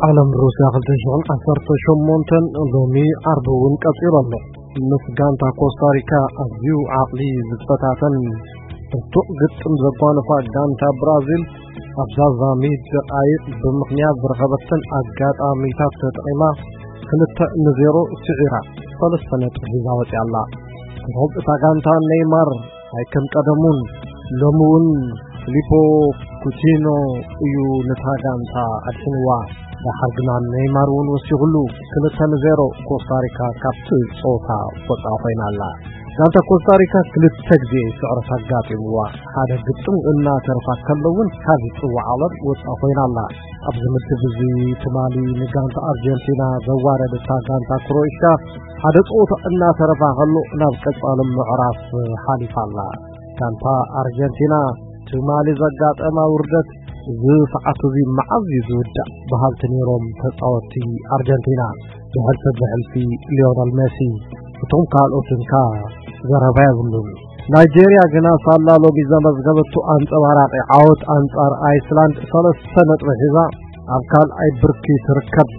ዓለም ሩስያ ክልተ ሽሕን ዓሰርተ ሸሞንተን ሎሚ ዓርቢ እውን ቀጺሉ ኣሎ። ምስ ጋንታ ኮስታሪካ ኣዝዩ ዓቕሊ ዝፈታተን ብርቱዕ ግጥም ዘጓነፋ ጋንታ ብራዚል ኣብ ዛዛሚ ደቓይቕ ብምኽንያት ዝረኸበተን ኣጋጣሚታት ተጠቒማ ክልተ ንዜሮ ስዒራ ሰለስተ ነጥቢ ሒዛ ወፂኣ ኣላ። ኮኾብ እታ ጋንታ ኔይማር ኣይከም ቀደሙን ሎሚ እውን ፊሊፖ ኩቲኖ እዩ ነታ ጋንታ ኣድሒንዋ። ደሓር ግና ኔይማር እውን ወሲኹሉ ክልተ ንዜሮ ኮስታሪካ ካብቲ ፀወታ ወፃ ኮይና ኣላ። ጋንታ ኮስታሪካ ክልተ ግዜ ስዕረት ኣጋጢምዋ። ሓደ ግጥም እናተረፋ ከሎ እውን ካብ ጽዋዕ ዓለም ወፃ ኮይና ኣላ። ኣብዚ ምድብ እዚ ትማሊ ንጋንታ ኣርጀንቲና ዘዋረደታ ጋንታ ክሮኤሽያ ሓደ ፀወታ እናተረፋ ከሎ ናብ ቀጻሊ ምዕራፍ ሓሊፋ ኣላ። ጋንታ ኣርጀንቲና ትማሊ ዘጋጠማ ውርደት እዚ ሰዓት እዚ መዓዝ እዩ ዝውዳእ በሃልቲ ነይሮም ተጻወትቲ ኣርጀንቲና። ብሕልፊ ብሕልፊ ሊዮነል ሜሲ፣ እቶም ካልኦትን ከኣ ዘረባ የብሉን። ናይጄርያ ግና ሳላ ሎሚ ዘመዝገበቶ ኣንጸባራቒ ዓወት ኣንጻር ኣይስላንድ ሰለስተ ነጥቢ ሒዛ ኣብ ካልኣይ ብርኪ ትርከብ።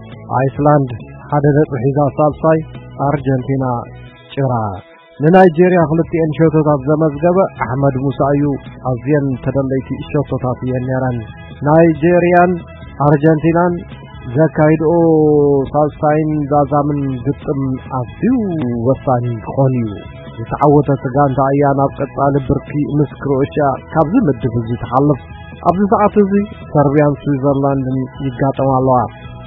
ኣይስላንድ ሓደ ነጥቢ ሒዛ ሳልሳይ፣ ኣርጀንቲና ጭራ። ንናይጄርያ ክልቲኤን ሸቶታት ዘመዝገበ ኣሕመድ ሙሳ እዩ። ኣዝየን ተደለይቲ ሸቶታት እየን ነይረን። ናይጄርያን ኣርጀንቲናን ዘካይድኦ ሳልሳይን ዛዛምን ግጥም ኣዝዩ ወሳኒ ክኾን እዩ። ዝተዓወተት ጋንታ እያ ናብ ቀጻሊ ብርኪ ምስ ክሮኤሽያ ካብዚ ምድብ እዚ ትሓልፍ። ኣብዚ ሰዓት እዚ ሰርቢያን ስዊዘርላንድን ይጋጠማ ኣለዋ።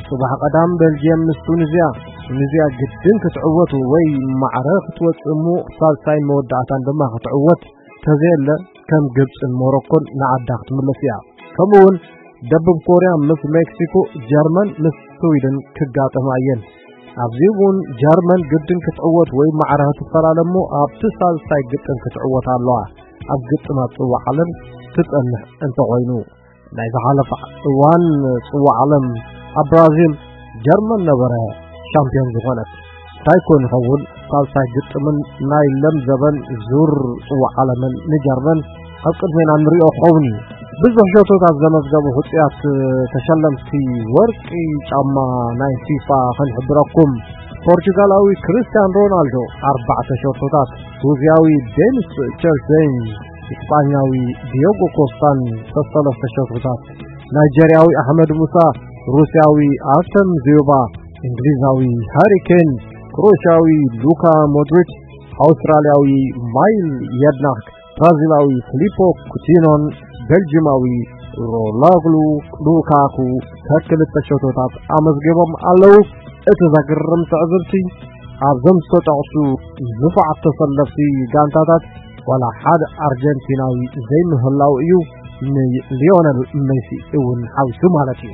ጽባሕ ቀዳም ቤልጅየም ምስ ቱኒዝያ። ቱኒዝያ ግድን ክትዕወት ወይ ማዕረ ክትወጽእ እሞ ሳልሳይን መወዳእታን ድማ ክትዕወት ተዘየለ ከም ግብጽን ሞሮኮን ንዓዳ ክትምለስ እያ። ከምኡ እውን ደቡብ ኮርያ ምስ ሜክሲኮ፣ ጀርመን ምስ ስዊድን ክጋጠማ እየን። ኣብዚ እውን ጀርመን ግድን ክትዕወት ወይ ማዕረ ክትፈላለ እሞ ኣብቲ ሳልሳይ ግጥም ክትዕወት ኣለዋ። ኣብ ግጥማት ጽዋዕ ዓለም ትጸንሕ እንተኾይኑ። ናይ ዝሓለፈ እዋን ጽዋዕ ዓለም ኣብ ብራዚል ጀርመን ነበረ ሻምፒዮን ዝኾነት። እንታይ ኮን ይኸውን ሳልሳይ ግጥምን ናይ ለም ዘበን ዙር ጽዋዕ ዓለምን ንጀርመን ኣብ ቅድሜና ንሪኦ ክኸውን እዩ። ብዙሕ ሸቶታት ዘመዝገቡ ህጹያት ተሸለምቲ ወርቂ ጫማ ናይ ፊፋ ክንሕብረኩም። ፖርቹጋላዊ ክርስቲያን ሮናልዶ ኣርባዕተ ሸቶታት፣ ሩስያዊ ዴኒስ ቸርሴን፣ ኢስጳኛዊ ዲዮጎ ኮስታን ሰሰለስተ ሸቶታት፣ ናይጀርያዊ ኣሕመድ ሙሳ፣ ሩስያዊ ኣርተም ዚዮባ፣ እንግሊዛዊ ሃሪ ኬን፣ ክሮኤሽያዊ ሉካ ሞድሪች፣ ኣውስትራልያዊ ማይል የድናክ፣ ብራዚላዊ ፊሊፖ ኩቲኖን ቤልጂማዊ ሮላግሉ ሉካኩ ከክልተ ሸቶታት ኣመዝጊቦም ኣለዉ። እቲ ዘግርም ትዕዝብቲ ኣብዞም ዝተጠቕሱ ንፉዓት ተሰለፍቲ ጋንታታት ዋላ ሓደ ኣርጀንቲናዊ ዘይምህላው እዩ፣ ንሊዮነል ሜሲ እውን ሓዊሱ ማለት እዩ።